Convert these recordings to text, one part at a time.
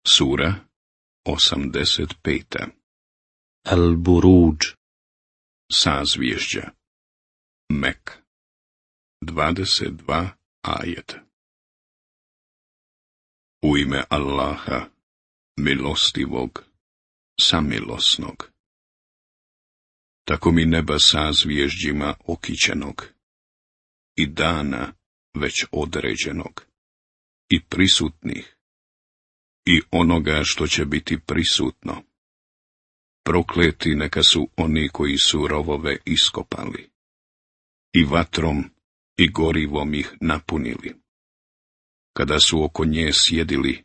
Sura 85. Al-Buruđ. Sazvježđa. Mek. 22 ajeta. U ime Allaha, milostivog, samilosnog. Tako mi neba sazvježđima okićenog, i dana već određenog, i prisutnih, i onoga što će biti prisutno. Prokleti neka su oni koji su rovove iskopali, i vatrom i gorivom ih napunili, kada su oko nje sjedili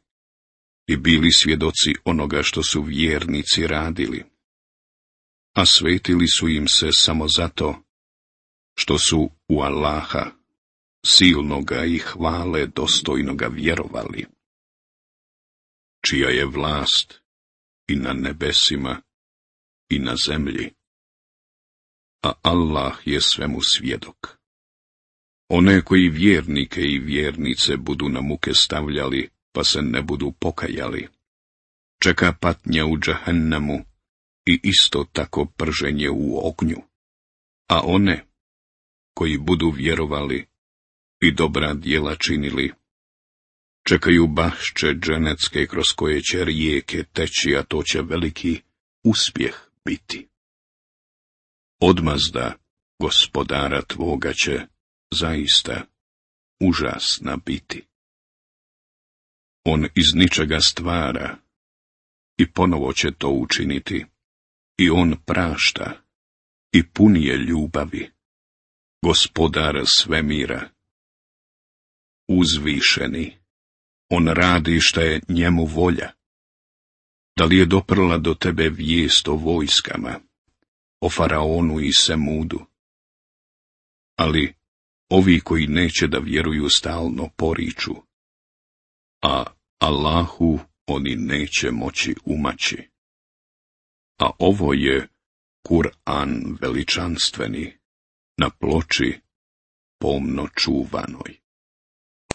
i bili svjedoci onoga što su vjernici radili, a svetili su im se samo zato što su u Allaha, silnoga i hvale dostojnoga vjerovali, čija je vlast i na nebesima i na zemlji, a Allah je svemu svjedok. One koji vjernike i vjernice budu na muke stavljali, pa se ne budu pokajali, čeka patnja u džahennemu i isto tako prženje u ognju, a one koji budu vjerovali i dobra djela činili, čekaju bašče dženecke kroz koje će rijeke teći, a to će veliki uspjeh biti. Odmazda gospodara tvoga će zaista užasna biti. On iz ničega stvara i ponovo će to učiniti, i on prašta i puni je ljubavi, gospodar svemira. Uzvišeni, on radi šta je njemu volja. Da li je doprla do tebe vijest o vojskama, o faraonu i Semudu? Ali ovi koji neće da vjeruju stalno poriču, a Allahu oni neće moći umaći. A ovo je Kur'an veličanstveni, na ploči pomno čuvanoj.